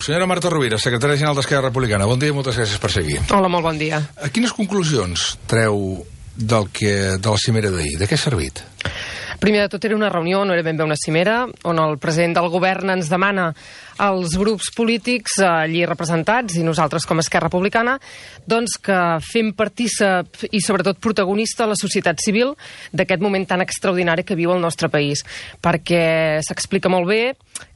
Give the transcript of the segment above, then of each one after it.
Senyora Marta Rovira, secretària general d'Esquerra Republicana, bon dia i moltes gràcies per ser aquí. Hola, molt bon dia. Quines conclusions treu de la cimera d'ahir? De què ha servit? Primer de tot era una reunió, no era ben bé una cimera, on el president del govern ens demana als grups polítics allí representats i nosaltres com a Esquerra Republicana doncs que fem partícip i sobretot protagonista la societat civil d'aquest moment tan extraordinari que viu el nostre país, perquè s'explica molt bé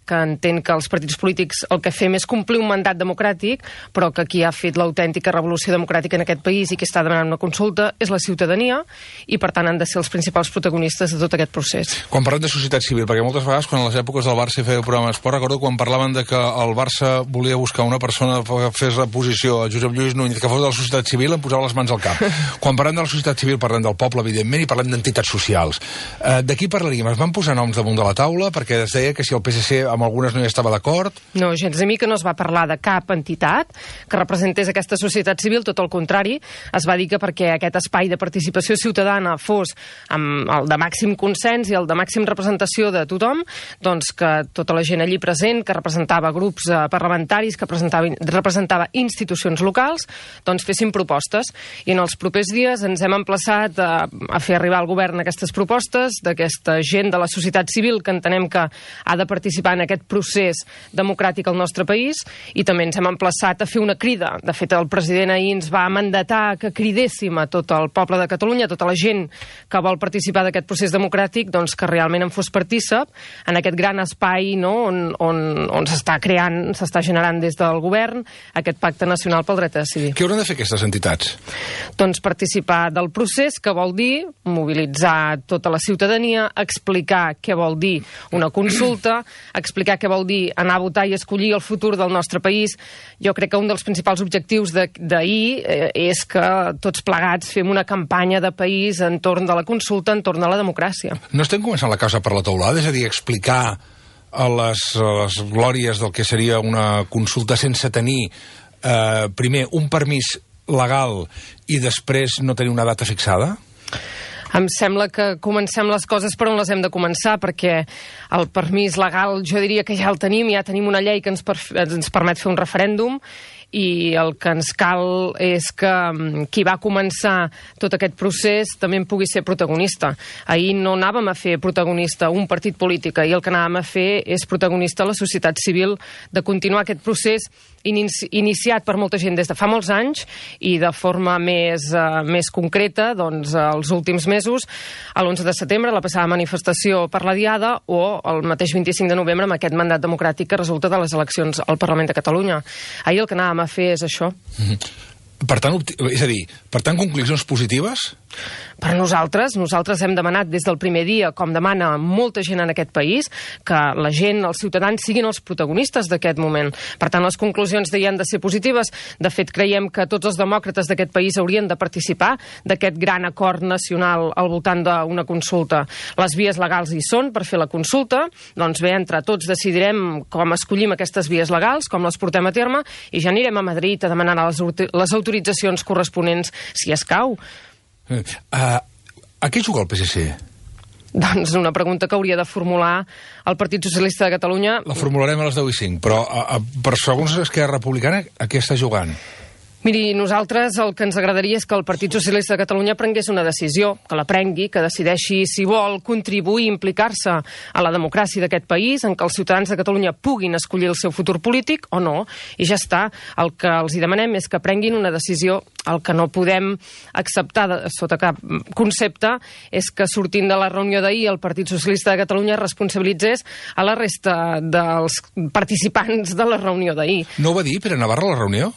que entén que els partits polítics el que fem és complir un mandat democràtic, però que qui ha fet l'autèntica revolució democràtica en aquest país i qui està demanant una consulta és la ciutadania i, per tant, han de ser els principals protagonistes de tot aquest procés. Quan parlem de societat civil, perquè moltes vegades, quan a les èpoques del Barça hi feia programa d'esport, recordo quan parlaven de que el Barça volia buscar una persona que fes la posició a Josep Lluís Núñez, que fos de la societat civil, em posava les mans al cap. Quan parlem de la societat civil, parlem del poble, evidentment, i parlem d'entitats socials. De qui parlaríem? Es van posar noms damunt de la taula, perquè es deia que si el PSC amb algunes no hi estava d'acord? No, gens a mi que no es va parlar de cap entitat que representés aquesta societat civil, tot el contrari, es va dir que perquè aquest espai de participació ciutadana fos amb el de màxim consens i el de màxim representació de tothom, doncs que tota la gent allí present, que representava grups parlamentaris, que representava institucions locals, doncs fessin propostes. I en els propers dies ens hem emplaçat a fer arribar al govern aquestes propostes d'aquesta gent de la societat civil que entenem que ha de participar en aquest procés democràtic al nostre país, i també ens hem emplaçat a fer una crida. De fet, el president ahir ens va mandatar que cridéssim a tot el poble de Catalunya, a tota la gent que vol participar d'aquest procés democràtic, doncs que realment en fos partícip en aquest gran espai, no?, on s'està creant, s'està generant des del govern aquest pacte nacional pel dret a decidir. Què hauran de fer aquestes entitats? Doncs participar del procés, que vol dir mobilitzar tota la ciutadania, explicar què vol dir una consulta, explicar què vol dir anar a votar i escollir el futur del nostre país. Jo crec que un dels principals objectius d'ahir és que tots plegats fem una campanya de país entorn de la consulta, entorn de la democràcia. No estem començant la casa per la teulada? És a dir, explicar a les glòries del que seria una consulta sense tenir primer un permís legal i després no tenir una data fixada? Em sembla que comencem les coses per on les hem de començar, perquè el permís legal jo diria que ja el tenim, ja tenim una llei que ens permet fer un referèndum, i el que ens cal és que qui va començar tot aquest procés també en pugui ser protagonista. Ahir no anàvem a fer protagonista un partit polític, ahir el que anàvem a fer és protagonista la societat civil, de continuar aquest procés iniciat per molta gent des de fa molts anys i de forma més concreta doncs els últims mesos, l'11 de setembre, la passada manifestació per la Diada, o el mateix 25 de novembre amb aquest mandat democràtic que resulta de les eleccions al Parlament de Catalunya. Ahir el que anàvem a fer és això. Per tant, és a dir, per tant, conclusions positives? Per nosaltres hem demanat des del primer dia, com demana molta gent en aquest país, que la gent, els ciutadans, siguin els protagonistes d'aquest moment. Per tant, les conclusions han de ser positives. De fet, creiem que tots els demòcrates d'aquest país haurien de participar d'aquest gran acord nacional al voltant d'una consulta. Les vies legals hi són per fer la consulta, doncs bé, entre tots decidirem com escollim aquestes vies legals, com les portem a terme, i ja anirem a Madrid a demanar les autoritzacions corresponents, si escau. A què juga el PSC? Doncs una pregunta que hauria de formular el Partit Socialista de Catalunya. La formularem a les 10:05, però per segons Esquerra Republicana, a què està jugant? Miri, nosaltres el que ens agradaria és que el Partit Socialista de Catalunya prengués una decisió, que la prengui, que decideixi si vol contribuir i implicar-se a la democràcia d'aquest país, en què els ciutadans de Catalunya puguin escollir el seu futur polític o no. I ja està. El que els hi demanem és que prenguin una decisió. El que no podem acceptar sota cap concepte és que sortint de la reunió d'ahir el Partit Socialista de Catalunya responsabilitzés a la resta dels participants de la reunió d'ahir. No ho va dir Pere Navarro a la reunió?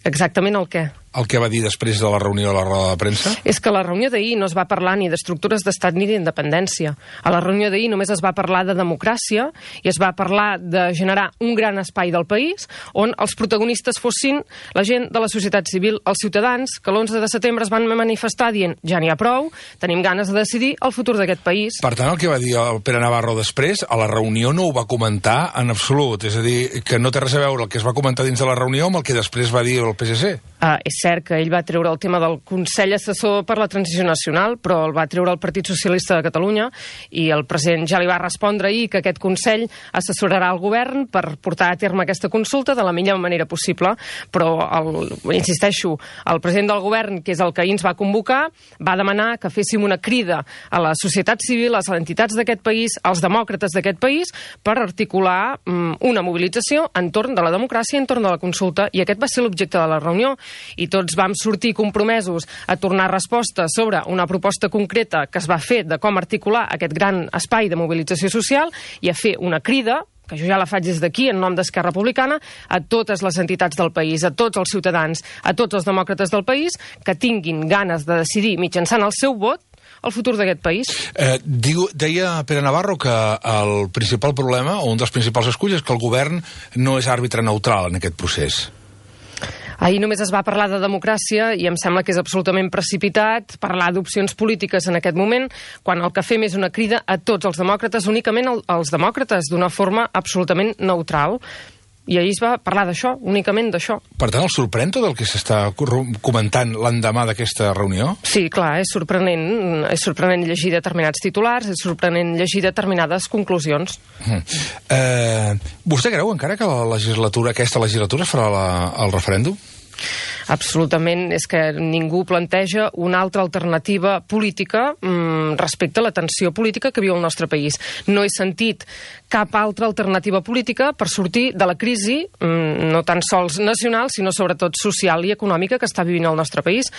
Exactament el què? El que va dir després de la reunió a la roda de premsa? És que a la reunió d'ahir no es va parlar ni d'estructures d'estat ni d'independència. A la reunió d'ahir només es va parlar de democràcia i es va parlar de generar un gran espai del país on els protagonistes fossin la gent de la societat civil, els ciutadans que l'11 de setembre es van manifestar dient ja n'hi ha prou, tenim ganes de decidir el futur d'aquest país. Per tant, el que va dir el Pere Navarro després, a la reunió no ho va comentar en absolut. És a dir, que no té res a veure el que es va comentar dins de la reunió amb el que després va dir el PSC. És cert que ell va treure el tema del Consell Assessor per la Transició Nacional, però el va treure el Partit Socialista de Catalunya i el president ja li va respondre ahir que aquest Consell assessorarà el govern per portar a terme aquesta consulta de la millor manera possible, però, insisteixo, el president del govern, que és el que ahir ens va convocar, va demanar que féssim una crida a la societat civil, a les entitats d'aquest país, als demòcrates d'aquest país, per articular una mobilització entorn de la democràcia, entorn de la consulta, i aquest va ser l'objecte de la reunió. I tots vam sortir compromesos a tornar respostes sobre una proposta concreta que es va fer de com articular aquest gran espai de mobilització social i a fer una crida, que jo ja la faig des d'aquí, en nom d'Esquerra Republicana, a totes les entitats del país, a tots els ciutadans, a tots els demòcrates del país, que tinguin ganes de decidir mitjançant el seu vot el futur d'aquest país. Deia Pere Navarro que el principal problema, o un dels principals esculls, és que el govern no és àrbitre neutral en aquest procés. Ahir només es va parlar de democràcia i em sembla que és absolutament precipitat parlar d'opcions polítiques en aquest moment, quan el que fem és una crida a tots els demòcrates, únicament als demòcrates, d'una forma absolutament neutral. I ahir es va parlar d'això, únicament d'això. Per tant, el sorprèn tot el que s'està comentant l'endemà d'aquesta reunió? Sí, clar, és sorprenent llegir determinats titulars, és sorprenent llegir determinades conclusions. Vostè creu encara que aquesta legislatura es farà el referèndum? Absolutament, és que ningú planteja una altra alternativa política respecte a la tensió política que viu el nostre país. No he sentit cap altra alternativa política per sortir de la crisi, no tan sols nacional, sinó sobretot social i econòmica que està vivint el nostre país.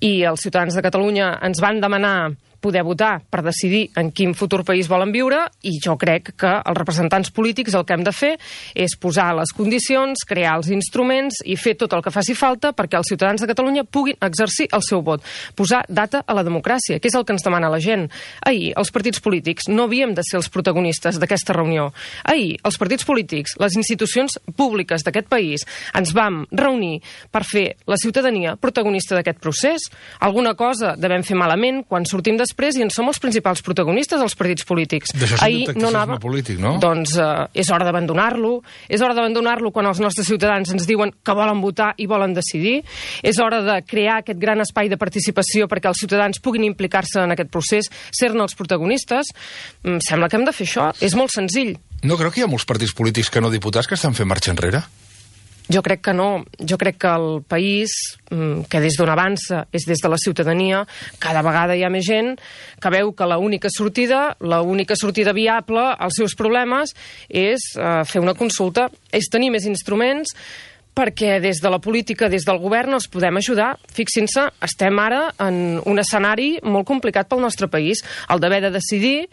I els ciutadans de Catalunya ens van demanar poder votar per decidir en quin futur país volen viure, i jo crec que els representants polítics el que hem de fer és posar les condicions, crear els instruments i fer tot el que faci falta perquè els ciutadans de Catalunya puguin exercir el seu vot. Posar data a la democràcia, que és el que ens demana la gent. Ahir, els partits polítics no havíem de ser els protagonistes d'aquesta reunió. Ahir, els partits polítics, les institucions públiques d'aquest país, ens vam reunir per fer la ciutadania protagonista d'aquest procés. Alguna cosa devem fer malament quan sortim després i en som els principals protagonistes, els partits polítics. D'això és un tacticisme polític, no? Doncs és hora d'abandonar-lo. És hora d'abandonar-lo quan els nostres ciutadans ens diuen que volen votar i volen decidir. És hora de crear aquest gran espai de participació perquè els ciutadans puguin implicar-se en aquest procés, ser-ne els protagonistes. Sembla que hem de fer això. És molt senzill. No creu que hi ha molts partits polítics que no diputats que estan fent marxa enrere? Jo crec que no. Jo crec que el país, que des d'on avança és des de la ciutadania, cada vegada hi ha més gent que veu que l'única sortida viable als seus problemes és fer una consulta, és tenir més instruments, perquè des de la política, des del govern, els podem ajudar. Fixin-se, estem ara en un escenari molt complicat pel nostre país, el d'haver de decidir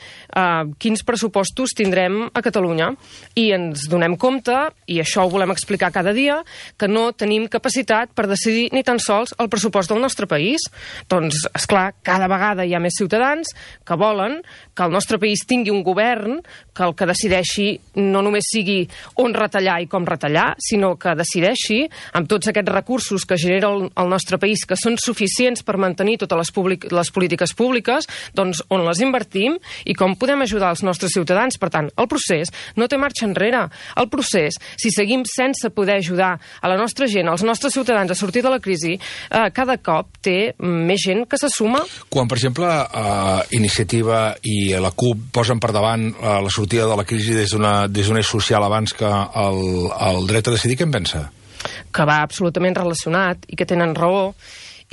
quins pressupostos tindrem a Catalunya. I ens donem compte, i això ho volem explicar cada dia, que no tenim capacitat per decidir ni tan sols el pressupost del nostre país. Doncs, esclar, cada vegada hi ha més ciutadans que volen que el nostre país tingui un govern que el que decideixi no només sigui on retallar i com retallar, sinó que decideixi amb tots aquests recursos que genera el nostre país, que són suficients per mantenir totes les polítiques públiques, doncs on les invertim i com podem ajudar els nostres ciutadans. Per tant, el procés no té marxa enrere. El procés, si seguim sense poder ajudar a la nostra gent, als nostres ciutadans a sortir de la crisi, cada cop té més gent que se suma. Quan, per exemple, Iniciativa i la CUP posen per davant la sortida de la crisi des d'un eix social abans que el dret a decidir, què en pensa? Que va absolutament relacionat i que tenen raó,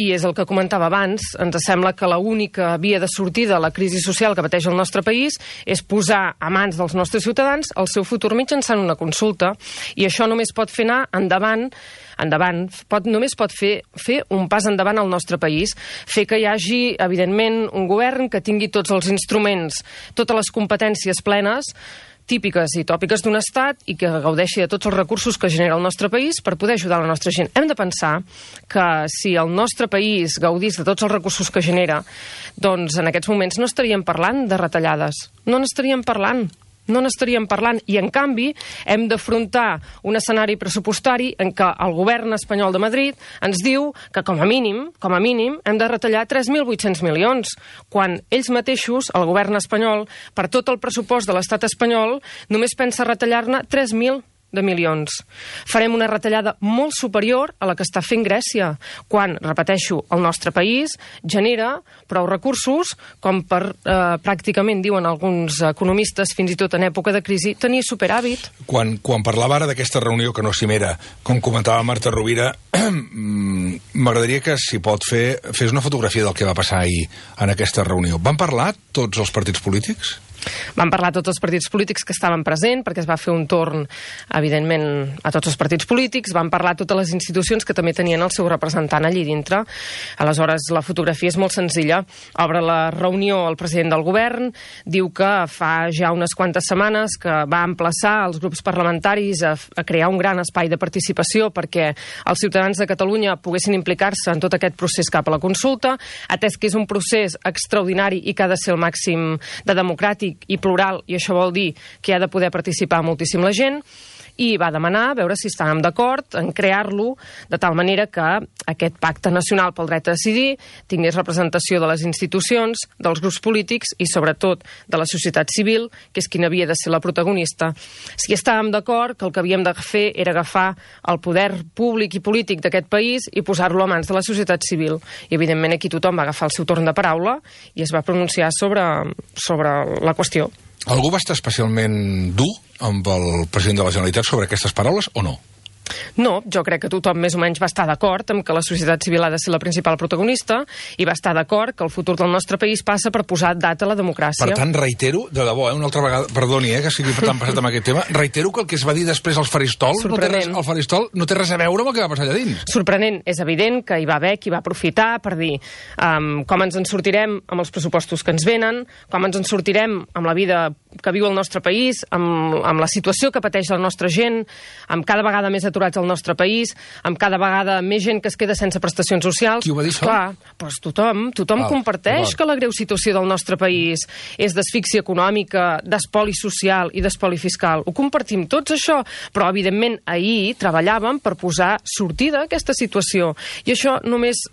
i és el que comentava abans. Ens sembla que l'única via de sortida a la crisi social que pateix el nostre país és posar a mans dels nostres ciutadans el seu futur mitjançant una consulta, i això només pot fer anar endavant, només pot fer un pas endavant al nostre país, fer que hi hagi, evidentment, un govern que tingui tots els instruments, totes les competències plenes, típiques i tòpiques d'un estat, i que gaudeixi de tots els recursos que genera el nostre país per poder ajudar la nostra gent. Hem de pensar que si el nostre país gaudís de tots els recursos que genera, doncs en aquests moments no estaríem parlant de retallades, no n'estaríem parlant, i en canvi hem d'afrontar un escenari pressupostari en què el govern espanyol de Madrid ens diu que com a mínim hem de retallar 3.800 milions, quan ells mateixos, el govern espanyol, per tot el pressupost de l'estat espanyol, només pensa retallar-ne 3.000. de milions. Farem una retallada molt superior a la que està fent Grècia, quan, repeteixo, el nostre país genera prou recursos com per, pràcticament, diuen alguns economistes, fins i tot en època de crisi, tenir superàvit. Quan parlava ara d'aquesta reunió, que no cimera, com comentava Marta Rovira, m'agradaria que, si pot fer, fes una fotografia del que va passar ahir en aquesta reunió. Van parlar tots els partits polítics? Van parlar tots els partits polítics que estaven presents, perquè es va fer un torn, evidentment, a tots els partits polítics, van parlar totes les institucions que també tenien el seu representant allí dintre. Aleshores, la fotografia és molt senzilla. Obre la reunió el president del govern, diu que fa ja unes quantes setmanes que va emplaçar els grups parlamentaris a crear un gran espai de participació perquè els ciutadans de Catalunya poguessin implicar-se en tot aquest procés cap a la consulta, atès que és un procés extraordinari i que ha de ser el màxim de democràtic i plural, i això vol dir que hi ha de poder participar moltíssim la gent, i va demanar a veure si estàvem d'acord en crear-lo de tal manera que aquest pacte nacional pel dret a decidir tingués representació de les institucions, dels grups polítics i sobretot de la societat civil, que és qui havia de ser la protagonista. Si estàvem d'acord que el que havíem de fer era agafar el poder públic i polític d'aquest país i posar-lo a mans de la societat civil. I evidentment aquí tothom va agafar el seu torn de paraula i es va pronunciar sobre la qüestió. Algú va estar especialment dur amb el president de la Generalitat sobre aquestes paraules o no? No, jo crec que tothom més o menys va estar d'acord amb que la societat civil ha de ser la principal protagonista i va estar d'acord que el futur del nostre país passa per posar data a la democràcia. Per tant, reitero, de debò, una altra vegada, perdoni que sigui tan passat amb aquest tema, reitero que el que es va dir després al faristol, no té res a veure amb el que va passar allà dins. Sorprenent. És evident que hi va haver qui va aprofitar per dir com ens en sortirem amb els pressupostos que ens venen, com ens en sortirem amb la vida que viu el nostre país, amb la situació que pateix la nostra gent, amb cada vegada més aturats al nostre país, amb cada vegada més gent que es queda sense prestacions socials. Qui ho va dir això? Clar, doncs tothom comparteix que la greu situació del nostre país és d'asfíxia econòmica, d'espoli social i d'espoli fiscal. Ho compartim tots, això, però evidentment ahir treballàvem per posar sortida a aquesta situació. I això només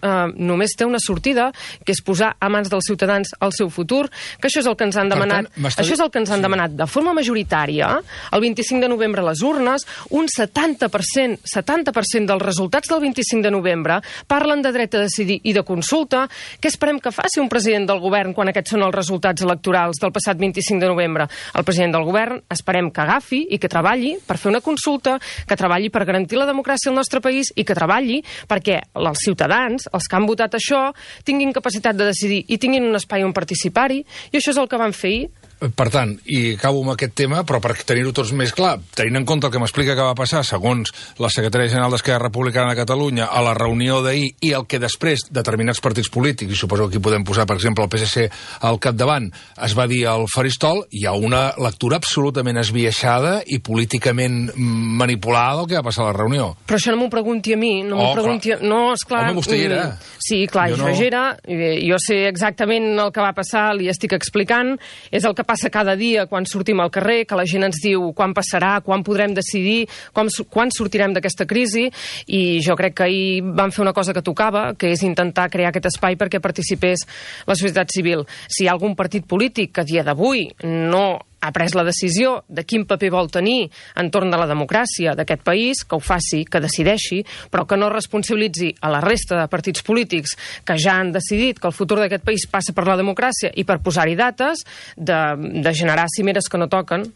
té una sortida, que és posar a mans dels ciutadans el seu futur, que això és el que ens han demanat. Això és el que ens han demanat de forma majoritària, el 25 de novembre a les urnes, un 70% dels resultats del 25 de novembre parlen de dret a decidir i de consulta. Què esperem que faci un president del govern quan aquests són els resultats electorals del passat 25 de novembre? El president del govern esperem que agafi i que treballi per fer una consulta, que treballi per garantir la democràcia al nostre país i que treballi perquè els ciutadans, els que han votat això, tinguin capacitat de decidir i tinguin un espai on participar-hi, i això és el que van fer ahir. Per tant, i acabo amb aquest tema, però per tenir-ho tots més clar, tenint en compte el que m'explica que va passar, segons la secretària general d'Esquerra Republicana de Catalunya, a la reunió d'ahir, i el que després determinats partits polítics, i suposo que aquí podem posar, per exemple, el PSC al capdavant, es va dir al faristol, hi ha una lectura absolutament esbiaixada i políticament manipulada del que va passar a la reunió. Però això no m'ho pregunti a mi, no m'ho pregunti... No, esclar... Home, vostè hi era. Sí, clar, jo hi era, jo sé exactament el que va passar, li estic explicant, és el que passa cada dia quan sortim al carrer, que la gent ens diu quan passarà, quan podrem decidir, quan sortirem d'aquesta crisi, i jo crec que ahir van fer una cosa que tocava, que és intentar crear aquest espai perquè participés la societat civil. Si hi ha algun partit polític que a dia d'avui no ha pres la decisió de quin paper vol tenir entorn de la democràcia d'aquest país, que ho faci, que decideixi, però que no responsabilitzi a la resta de partits polítics que ja han decidit que el futur d'aquest país passa per la democràcia i per posar-hi dates, de generar cimeres que no toquen.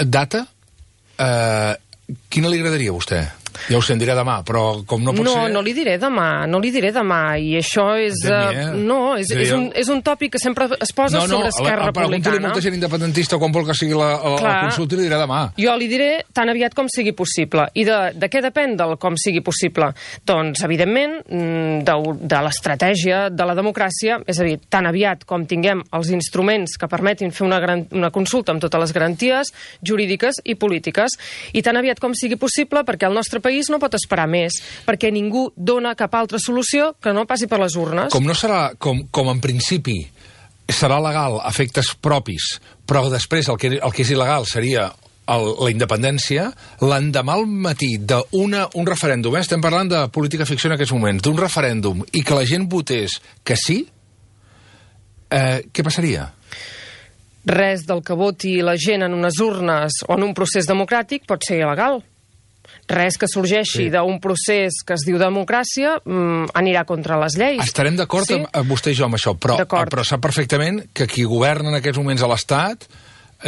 Data? Quina li agradaria a vostè? Ja ho sé, en diré demà, però com no pot ser... No li diré demà, i això és... és un tòpic que sempre es posa sobre Esquerra Republicana. Pregunto-li molta gent independentista quan vol que sigui la consulta i li diré demà. Jo li diré tan aviat com sigui possible. I de què depèn del com sigui possible? Doncs, evidentment, de l'estratègia de la democràcia, és a dir, tan aviat com tinguem els instruments que permetin fer una consulta amb totes les garanties jurídiques i polítiques, i tan aviat com sigui possible perquè el nostre país no pot esperar més, perquè ningú dona cap altra solució que no passi per les urnes. Com no serà, com en principi serà legal a efectes propis, però després el que és il·legal seria la independència, l'endemà al matí d'un referèndum, estem parlant de política ficció en aquests moments, d'un referèndum, i que la gent votés que sí, què passaria? res del que voti la gent en unes urnes o en un procés democràtic pot ser il·legal. Res que sorgeixi d'un procés que es diu democràcia anirà contra les lleis. Estarem d'acord amb vostè i jo amb això, però sap perfectament que qui governa en aquests moments a l'Estat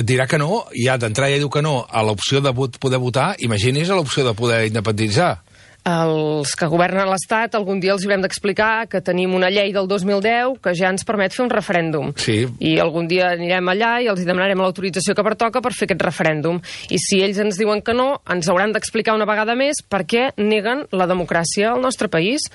dirà que no, ja d'entrada ja diu que no a l'opció de poder votar, imagini's a l'opció de poder independitzar. Els que governen l'Estat algun dia els haurem d'explicar que tenim una llei del 2010 que ja ens permet fer un referèndum. Sí. I algun dia anirem allà i els demanarem l'autorització que pertoca per fer aquest referèndum. I si ells ens diuen que no, ens hauran d'explicar una vegada més per què neguen la democràcia al nostre país.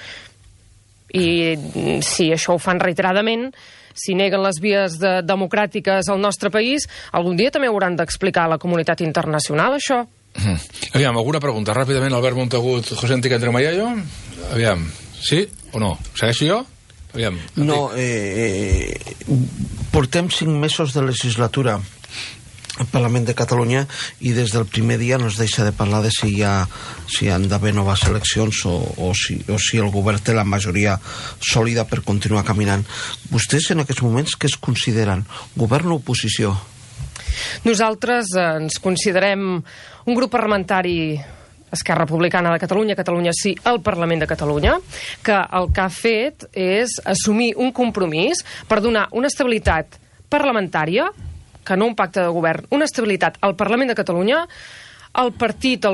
I si això ho fan reiteradament, si neguen les vies democràtiques al nostre país, algun dia també hauran d'explicar a la comunitat internacional això. Aviam, alguna pregunta ràpidament, Albert Montagut, José Antic Entre Mayallo? Aviam, sí o no? Segueixo jo? Aviam. No, portem 5 mesos de legislatura al Parlament de Catalunya i des del primer dia no es deixa de parlar de si han d'haver noves eleccions o si el govern té la majoria sòlida per continuar caminant. Vostès en aquests moments què es consideren? Govern o oposició? Nosaltres ens considerem un grup parlamentari Esquerra Republicana de Catalunya, Catalunya Sí, al Parlament de Catalunya, que el que ha fet és assumir un compromís per donar una estabilitat parlamentària, que no un pacte de govern, una estabilitat al Parlament de Catalunya, el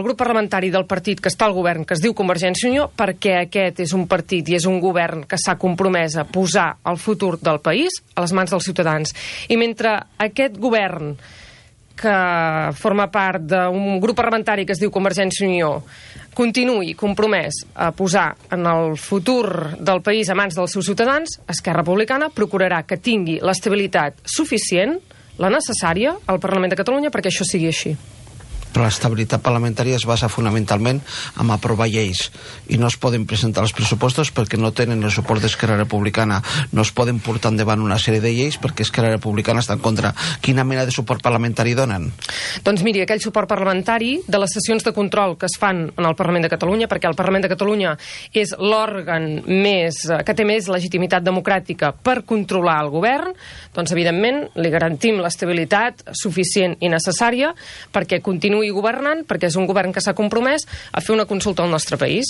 grup parlamentari del partit que està al govern, que es diu Convergència i Unió, perquè aquest és un partit i és un govern que s'ha compromès a posar el futur del país a les mans dels ciutadans. I mentre aquest govern, que forma part d'un grup parlamentari que es diu Convergència i Unió, continuï compromès a posar en el futur del país a mans dels seus ciutadans, Esquerra Republicana procurarà que tingui l'estabilitat suficient, la necessària, al Parlament de Catalunya perquè això sigui així. Però l'estabilitat parlamentària es basa fonamentalment en aprovar lleis i no es poden presentar els pressupostos perquè no tenen el suport d'Esquerra Republicana, no es poden portar endavant una sèrie de lleis perquè Esquerra Republicana està en contra. Quina mena de suport parlamentari donen? Doncs miri, aquell suport parlamentari de les sessions de control que es fan en el Parlament de Catalunya, perquè el Parlament de Catalunya és l'òrgan que té més legitimitat democràtica per controlar el govern, doncs evidentment li garantim l'estabilitat suficient i necessària perquè continuï governant, perquè és un govern que s'ha compromès a fer una consulta al nostre país.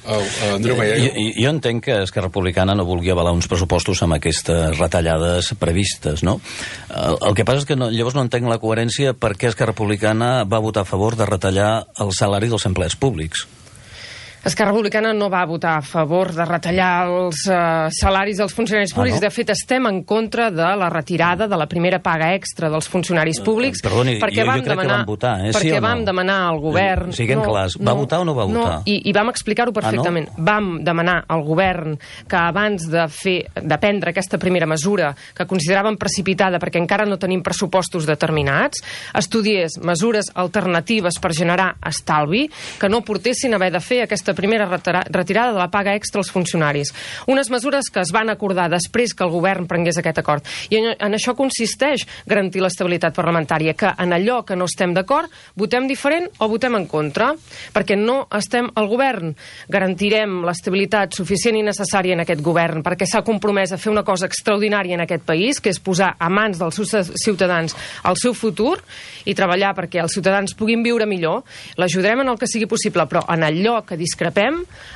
Jo entenc que Esquerra Republicana no vulgui avalar uns pressupostos amb aquestes retallades previstes, no? El que passa és que llavors no entenc la coherència per què Esquerra Republicana va votar a favor de retallar el salari dels empleats públics. Esquerra Republicana no va votar a favor de retallar els salaris dels funcionaris públics. De fet, estem en contra de la retirada de la primera paga extra dels funcionaris públics. Perdoni, jo crec que vam votar, perquè vam demanar al govern... Siguem clars, va votar o no va votar? No, i vam explicar-ho perfectament. Vam demanar al govern que abans de prendre aquesta primera mesura, que consideràvem precipitada perquè encara no tenim pressupostos determinats, estudiés mesures alternatives per generar estalvi que no portessin a haver de fer aquesta primera retirada de la paga extra als funcionaris. Unes mesures que es van acordar després que el govern prengués aquest acord. I en això consisteix garantir l'estabilitat parlamentària, que en allò que no estem d'acord votem diferent o votem en contra, perquè no estem al govern. Garantirem l'estabilitat suficient i necessària en aquest govern, perquè s'ha compromès a fer una cosa extraordinària en aquest país, que és posar a mans dels ciutadans el seu futur i treballar perquè els ciutadans puguin viure millor. L'ajudarem en el que sigui possible, però en allò que discrepem,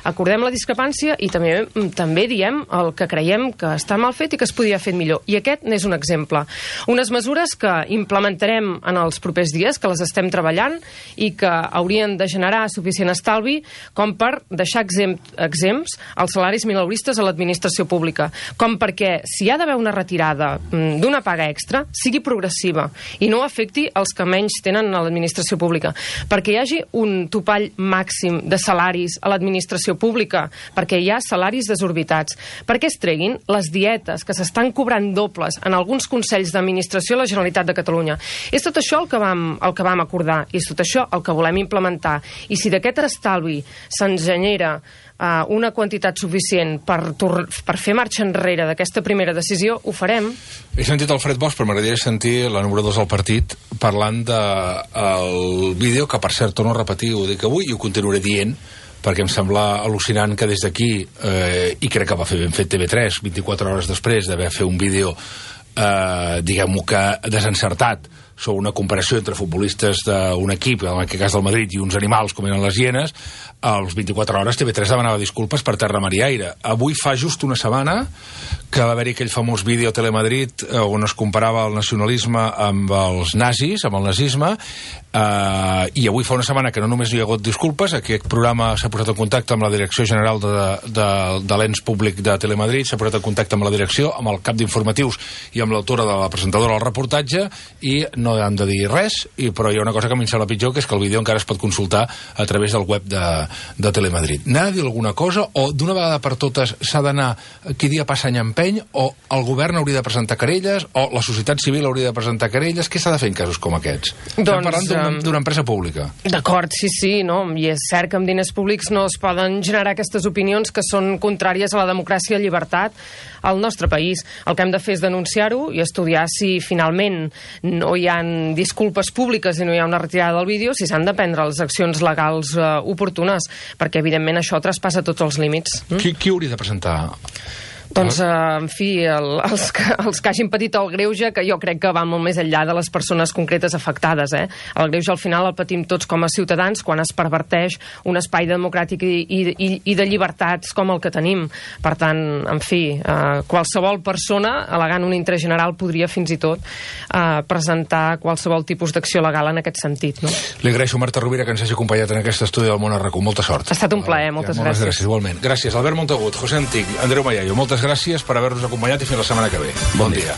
acordem la discrepància i també diem el que creiem que està mal fet i que es podia fer millor. I aquest n'és un exemple. Unes mesures que implementarem en els propers dies, que les estem treballant i que haurien de generar suficient estalvi com per deixar exempts els salaris mileuristes a l'administració pública, com perquè si hi ha d'haver una retirada d'una paga extra, sigui progressiva i no afecti els que menys tenen a l'administració pública, perquè hi hagi un topall màxim de salaris a l'administració pública, perquè hi ha salaris desorbitats, perquè es treguin les dietes que s'estan cobrant dobles en alguns consells d'administració de la Generalitat de Catalunya. És tot això el que vam acordar i és tot això el que volem implementar. I si d'aquest estalvi se'ns genera una quantitat suficient per fer marxa enrere d'aquesta primera decisió, ho farem. He sentit Alfred Bosch, però m'agradaria sentir la número 2 del partit parlant del vídeo, que per cert torno a repetir, ho dic avui i ho continuaré dient, perquè em sembla al·lucinant que des d'aquí, i crec que va fer ben fet TV3, 24 hores després d'haver fet un vídeo diguem-ho que desencertat, sobre una comparació entre futbolistes d'un equip, en aquest cas del Madrid, i uns animals com eren les hienes, als 24 hores TV3 demanava disculpes per terra, mar i aire. Avui fa just una setmana que va haver-hi aquell famós vídeo a Telemadrid on es comparava el nacionalisme amb els nazis, amb el nazisme, i avui fa una setmana que no només hi ha hagut disculpes, aquest programa s'ha posat en contacte amb la Direcció General de l'Ens Públic de Telemadrid, s'ha posat en contacte amb la direcció, amb el cap d'informatius i amb l'autora de la presentadora del reportatge, i no han de dir res, però hi ha una cosa que a mi em sembla pitjor, que és que el vídeo encara es pot consultar a través del web de Telemadrid. N'ha de dir alguna cosa, o d'una vegada per totes s'ha d'anar qui dia passa any empeny, o el govern hauria de presentar querelles, o la societat civil hauria de presentar querelles? Què s'ha de fer en casos com aquests? Estem parlant d'una empresa pública. D'acord, sí, no? I és cert que amb diners públics no es poden generar aquestes opinions que són contràries a la democràcia i llibertat al nostre país. El que hem de fer és denunciar-ho i estudiar si finalment no hi ha disculpes públiques i no hi ha una retirada del vídeo, si s'han de prendre les accions legals oportunes, perquè evidentment això traspassa tots els límits. Qui hauria de presentar? Doncs, en fi, els que hagin patit el greuge, que jo crec que va molt més enllà de les persones concretes afectades. El greuge al final el patim tots com a ciutadans quan es perverteix un espai democràtic i de llibertats com el que tenim. Per tant, en fi, qualsevol persona, al·legant un interès general, podria fins i tot presentar qualsevol tipus d'acció legal en aquest sentit. No? Li agraeixo, Marta Rovira, que ens hagi acompanyat en aquest estudi del Món a RAC1. Molta sort. Ha estat un plaer, moltes gràcies. Igualment. Gràcies, Albert Montagut, José Antic, Andreu Mallayo. Moltes gràcies per haver-nos acompanyat i fins la setmana que ve. Bon dia.